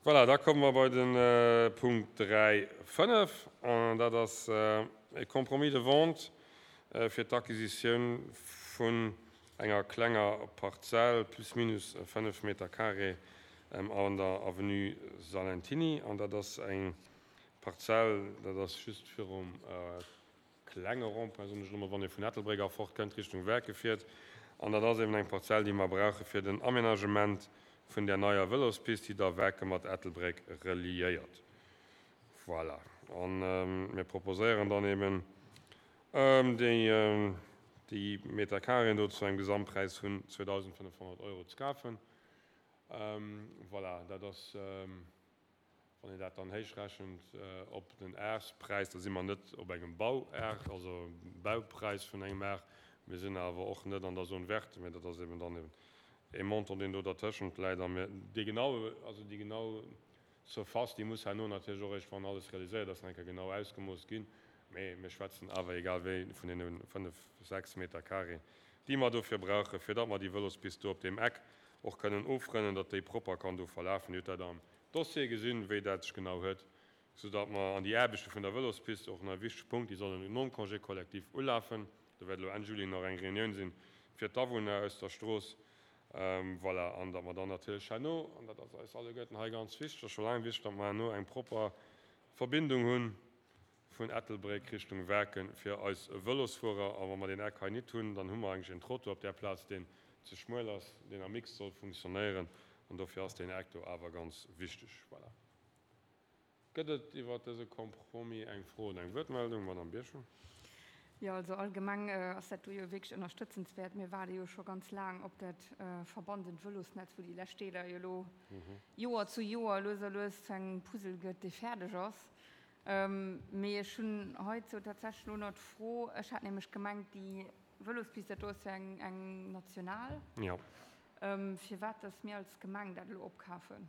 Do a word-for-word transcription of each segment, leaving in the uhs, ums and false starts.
Voilà, da komme mer bei de Punkt dräi fënnef, an dat ass e Compromis de vente fir d'Acquisitioun vun enger klenger Parzell, plus minus fënnef Meter carré, an der Avenue Salentiny. An dat ass eng Parzell, dat ass just virum klenge Rond-point, soen ech elo mol, wann ee vun Ettelbréck erfort kënnt, Richtung Werke fiert. An dat ass eben eng Parzell, déi mer brauche fir den Aménagement vun der neier Vëlospist, déi da Werke mat Ettelbréck reliéiert. Voilà. An mir proposéieren dann eben déi, déi Meter carréen do zu engem Gesamtpräis vun zweedausendfënnefhonnert Euro ze kafen. Voilà, dat ass, wann een dat dann héichrechent op den Aarspräis, da si mer net op engem Bauaar, also Baupräis vun engem Aar. Mir sinn awer och net an der Zone verte, mä dat ass eben dann eben e Montant, deen do dertëschent läit. A mir, déi genau, also déi genau Surface, déi muss herno natierlech och eréischt, wann alles realiséiert ass, nach eng Kéier genau ausgemooss ginn. Mee mir schwätzen awer egal wéi vun deene fënnef, sechs Meter carré, déi mer dofir brauchen, fir datt mer déi Vëlospist do op deem Eck och kënnen ofrënnen, datt déi propper kann do verlafen. Dir hutt dat am Dossier gesinn, wéi dat sech genau huet, soudatt mer an déi Aarbechte vun der Vëlospist, och nach e wichtege Punkt, déi sollen nom Congé collectif ulafen. Do wäert elo Enn Juli nach eng Reunioun sinn fir d'Awunner aus der Strooss. Voilà, an datt mer dann natierlech herno, an dat ass eis alleguerten hei ganz wichteg, ass scho laang wichteg, datt mer herno eng propper Verbindung hu vun Ettelbréck Richtung Werken fir eis Vëlosfuerer. A wa mer deen Eck hei nit hunn, dann hu mer eigentlech en Trottoir op där Plaz, deen ze schmuel ass, deen am Mix soll funktionéieren. An dofir ass deen Eck do awer ganz wichteg. Voilà. Gëtt et iwwert dëse Compromis eng Fro oder eng Wuertmeldung? Madame Birchen. Jo, also allgemeng ass dat do jo wierklech ënnerstëtzenswäert. Mir waarde jo scho ganz laang op dat verbandent Vëlosnetz, wou déi lescht Deeler jo elo Joer zu Joer lues a lues zu engem Puzzle gëtt, dee fäerdeg ass. Mee ech hunn heizou tatsächlech elo nach d'Fro, ech hat nämlech gemengt, déi Vëlospist, dat do ass jo eng, eng national, firwat dass mir als Gemeng dat elo opkafen.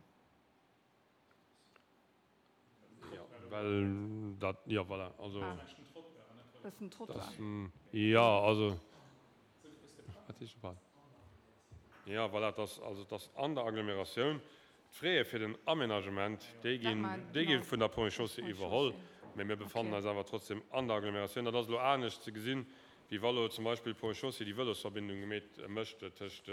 Jo, well dat, jo, voilà, also. Dat ass den Trottoir. Jo, also. Wat heescht de Pal? Jo, voilà, et ass, also et ass an der Agglomeratioun. D'Fraie fir den Aménagement, déi ginn, déi gi vun der Ponts et Chaussées iwwerholl, mä mir befannen eis awer trotzdem an der Agglomeratioun. Dat ass elo anescht ze gesinn, wéi wa lo zum Beispill d'Ponts et Chaussées déi Vëlosverbindung gemeet mécht tëscht,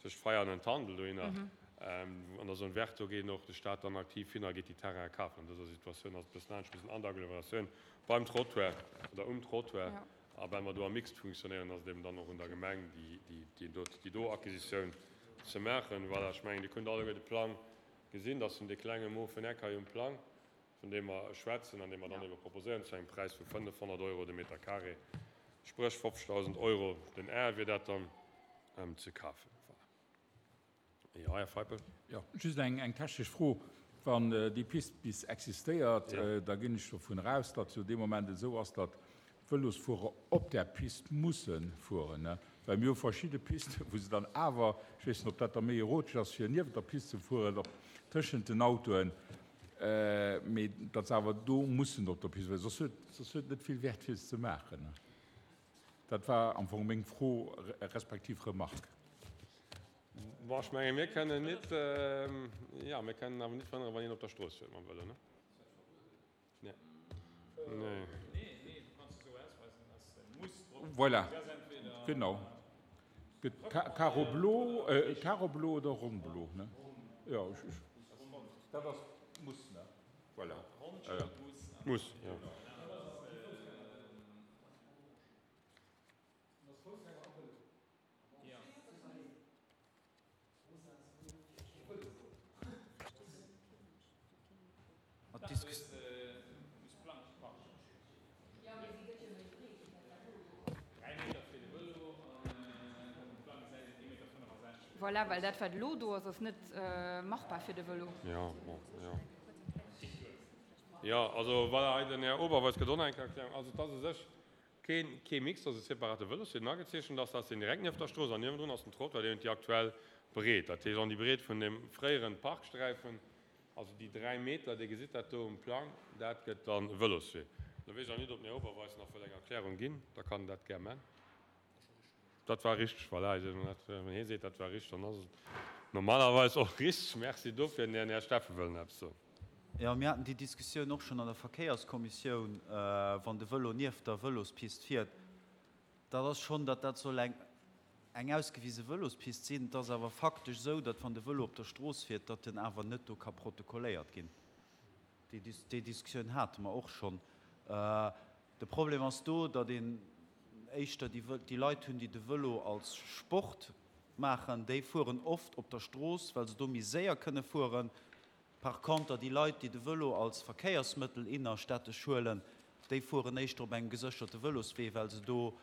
tëscht Veianen an Tandel dohinner. An der Zone verte, do geet och de Stat dann aktiv hin a geet déi Terraine kafen. An dëser Situatioun ass et e bëssen anescht. Mir sinn an der Agglomeratioun beim Trottoir oder um Trottoir. A well mer do am Mixed funktionéieren, ass et eben dann och un der Gemeng, déi do, déi do Acquisitioun ze maachen. Voilà, ech mengen, Dir kënnt alleguer de Plang gesinn. Dat ass vun dee klenge mofen Eck hei um Plang, vun deem mer schwätzen an dee mer dann ebe proposéieren zu engem Präis vu fënnefhonnert Euro de Meter carré, spréch fofzegdausend Euro den Ar wier dat dann ze kafen. Voilà. Jo, Här Feipel. Jo, just eng technesch Fro. Wann déi Pist bis existéiert, da ginn ech dovun eraus, datt jo dee Moment esou ass, datt d'Vëlosfuerer op där Pist musse fueren, well mir hu verschidde Pisten, wou se dann awer, ech weess net, ob dat da méi erotesch ass, fir niewent der Pist ze fueren, op tëschent den Autoen, mee datt se awer do mussen op der Pist fueren, soss huet soss huet et net vill Wäert, fir se ze maachen. Dat war am Fong meng Fro respektiv Remarque. Bon, ech mengen, mir kënnen net, jo, mir kënnen awer net verhënneren, wann een op der Strooss fuert mam Vëlo, ne? Nee. Nee. Voilà, genau. Gëtt Karo blo, Karo blo oder Rong blo, ne? Jo, dat ass muss, ne? Voilà. Muss, jo. Voilà, well dat, wat elo do ass, ass net machbar fir de Vëlo. Jo, bon, jo. Jo, also voilà, hei den Här Oberweis gëtt och nach eng Kéier Erklärung. Also et ass u sech keen, kee Mix, et ass e separate Vëloswee, deen agezeechent ass. Dat ass deen direkt nieft der Strooss an niewendrun ass den Trottoir, deen huet déi aktuell Breet, dat heescht an déi Breet vun deem fréieren Parksträifen. Also déi dräi Meter, Dir gesitt dat do um Plang, dat gëtt dann e Vëloswee. Lo weess ech awer nit, ob den Här Oberweis nach wëll eng Erklärung ginn, da kann en dat gär man. Dat war richteg, voilà. Wann hie seet, dat war richteg, dann ass et. Normalerweis och richteg. Merci dofir. Den Här Steffen wëll nach eppes soen. Jo, mir haten déi Diskussioun och schonn an der Verkéierskommissioun, wann de Vëlo nieft der Vëlospist fiert. Dat ass schonn, datt dat soll eng eng ausgewise Vëlospist sinn. Et ass awer faktesch esou, datt wann de Vëlo op der Strooss fiert, datt en awer net do ka protokolléiert ginn. Déi Diskussioun hate mer och schonn. De Problem ass do, datt een éischter déi Leit hunn, déi de Vëlo als Sport maachen, déi fueren oft op der Strooss, well se do méi séier kënne fueren. Par conter déi Leit, déi de Vëlo als Verkéiersmëttel innerstädtesch huelen, déi fueren éischter op engem gesécherte Vëloswee, well se do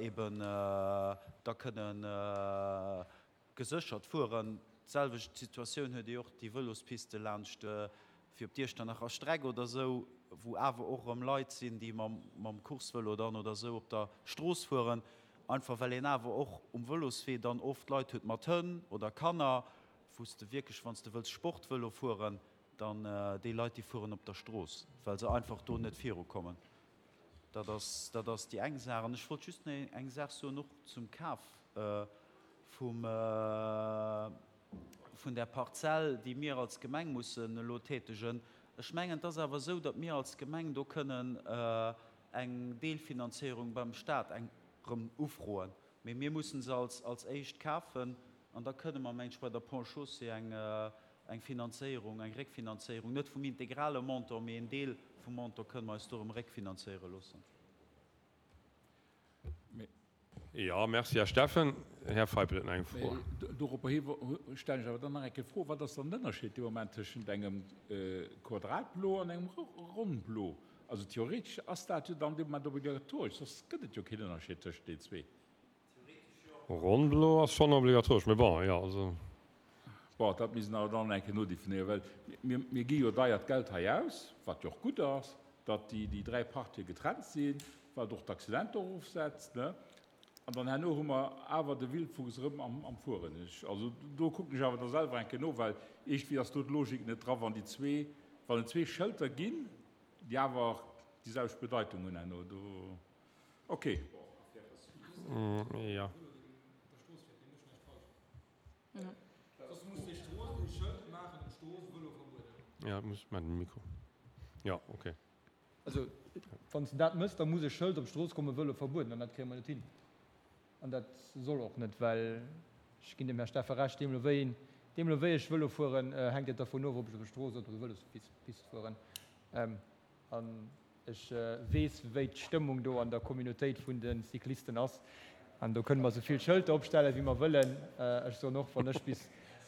eben da kënne geséchert fueren. D'selwecht Situatioun huet ee och déi Vëlospiste laanscht fir op d'Iechternacher Streck oder esou, wou awer och erëm Leit sinn, déi mam Coursevëlo dann oder esou op der Strooss fueren, einfach well een awer och um Vëloswee dann oft Leit huet mat Hënn oder Kanner, wou s de wierklech, wann s de wëlls Sportvëlo fueren, dann déi Leit, déi fueren op der Strooss, well se einfach do net virukommen. Dat ass, dat ass déi eng Saach. An ech wollt just nach eng Saach soen, och zum Kaf vum, vun där Parzell, déi mir als Gemeng mussen elo tätegen. Ech mengen, et ass awer esou, datt mir als Gemeng do kënnen eng Deelfinanzéierung beim Stat eng erëm ufroen. Mee mir mussen se als, als éischt kafen an da kënne mer, meng ech, bei der Ponts et Chaussées eng, eng Finanzéierung, eng Réckfinanzéierung, net vum integrale Montant, mee en Deel vum Montant kënne mer eis do erëm réckfinanzéiere loossen. Jo, merci, Här Steffen. Här Feipel huet nach eng Fro. Doropper hi stellen ech awer dann nach eng Kéier d'Fro, Wat ass dann den Ënnerscheed dee Moment tëschent engem Quadratblo an engem Ronnblo? Also theoretesch ass dat jo dann dee Moment obligatoresch, soss gëtt et jo keen Ënnerscheed tëschent deenen zwee. Ronnblo ass schonn obligatoresch, mee bon, jo, also. Bon, dat misst een awer dann eng Kéier nodefinéieren, well mir, mir gi jo deiert Geld hei aus, wat jo och gutt ass, datt déi, déi dräi Partië getrennt sinn, wat och d'Accidenter erofsetzt, ne? An dann herno hu mer awer de Wildwuchs erëm am, am Fueren. Ech, also do kucken ech awer da selwer eng Kéier no, well iergendwéi ass do d'Logik net dra, wann déi zwee, wann et zwee Schëlter ginn, déi awer déi selwecht Bedeitung hunn herno. Do, okay. Jo. Jo, muss mat dem Mikro. Jo, okay. Also, wann s de dat méchs, da muss e Schëld op d'Strooss kommen, Vëlo verbueden, an dat kréie mer net hin. An dat soll och net, well ech ginn dem Här Steffen Recht, deemno wéi een, deemno wéi ech Vëlo fueren, hänkt et dervun of, ob ech op der Strooss oder op der Vëlospist fueren. An ech weess, wéi d'Stëmmung do an der Communautéit vun de Cyclisten ass. An do kënne mer esou vill Schëlter opstellen, wéi mer wëllen. Ech soen och, wann ech bis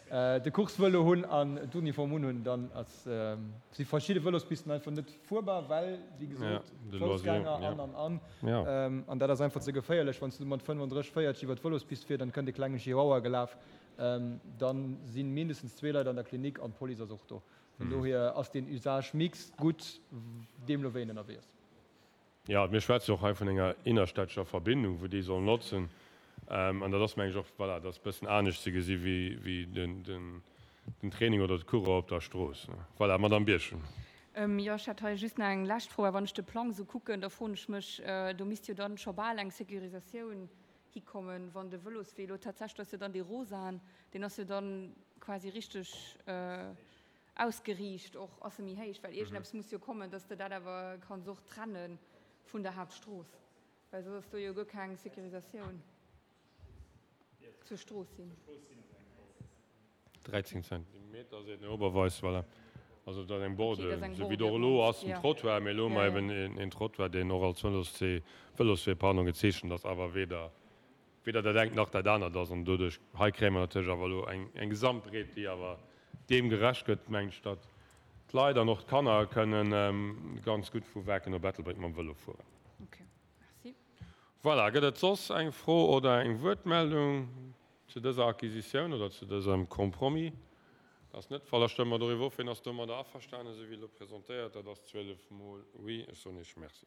de Coursevëlo hunn an d'Uniform unhunn, dann ass, si verschidde Vëlospisten einfach net fuerbar, well, wéi gesot, Foussgänger an, an, an. An dat ass einfach ze geféierlech. Wann s du mat fënnfandrësseg, véierzeg iwwer d'Vëlospist fiers, dann kënnt e klenge Chihuahua gelaf, da si mindestens zwee Leit an der Klinik an d'Police ass och do. Vun dohier ass deen Usage mixte gutt, deemno wéi een ënnerwee ass. Jo, mir schwätze jo och hei vun enger innerstädtescher Verbindung, wou déi soll notzen. An dat ass, meng ech, och, voilà, dat ass e bëssen anescht ze gesi wéi den Training oder d'Course op der Strooss. Voilà, Madamm Birchen. Jo, ech hätt hei just nach eng lescht Fro. Well wann ech de Plang esou kucken, da froen ech mech, do misst jo dann scho bal eng Sécurisatioun hikommen, wann de Vëloswee elo tatsächlech, ass jo dann dee rosaen, deen ass jo dann quasi richteg ausgeriicht och, ass e méi héich, well iergendeppes muss jo kommen, dass de dat awer kanns och trenne vun der Haaptstrooss, well soss ass do jo guer keng Sécurisatioun zur Strooss hin. dräizéng Zentimeter seet den Här Oberweis, voilà. Also dat ass eng Borde, esou wéi et och elo ass um Trottoir, mee elo hu mer eben een Trottoir, deen och als Vëloswee, Vëloswee, pardon, gezeechent ass, awer weder weder dat engt nach dat anert ass. An doduerch, hei kréie mer natierlech awer elo eng, eng Gesamtbreet, déi awer deem gerecht gëtt, mengen ech, datt d'Leit an och d'Kanner kënnen ganz gutt vu Waarken op Ettelbréck mam Vëlo fueren. Okay, merci. Voilà, gëtt et soss eng Fro oder eng Wuertmeldung zu dëser Acquisitioun oder zu dësem Compromis? Dat ass net de Fall. Da stëmme mer doriwwer of. Wien ass domadder averstanen, esou wéi elo presentéiert? Dat ass zwielef mol oui. Ech soen Iech Merci.